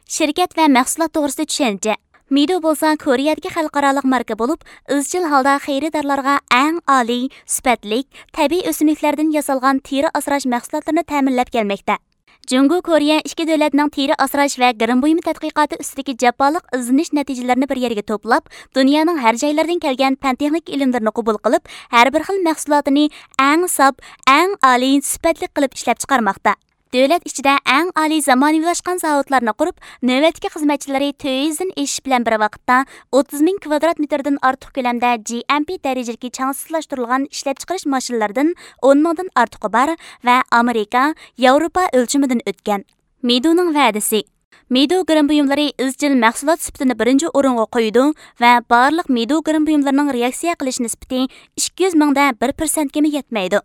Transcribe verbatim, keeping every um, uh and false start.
Şirket va mahsulot to'g'risida tushuncha. Midu bo'lsa Koreyadagi xalqaroliq marka bo'lib, izchil holda xaridorlarga eng oliy, sifatli, tabiiy o'simliklardan yasalgan teri asrash mahsulotlarini ta'minlab kelmoqda. Jungo Koreya ikki davlatning teri asrash va girim buyumi tadqiqoti ustidagi jafoliq izlanish natijalarini bir yerga to'plab, dunyoning har joylaridan kelgan fan texnik ilmlarini qabul qilib, har bir xil mahsulotini eng sof, eng oliy, sifatli qilib ishlab chiqarmoqda. Davlat ichida eng oliy zamonaviylashgan zavodlarni qurib, navbatdagi xizmatchilari to'rt yuzdan eshish bilan bir vaqtda o'ttiz ming kvadrat metrdan ortiq ko'lamda G M P darajadagi changsizlashtirilgan ishlab chiqarish mashinalaridan o'n mingdan ortiqi bor va Amerika, Yevropa o'lchamidan o'tgan. Miduning va'dasi. Midu girim buyumlari izchil mahsulot sifatini birinchi o'ringa qo'ydi va barliq Midu girim buyumlarining reaksiya qilish nisbati ikki yuz mingda bir persentga yetmaydi.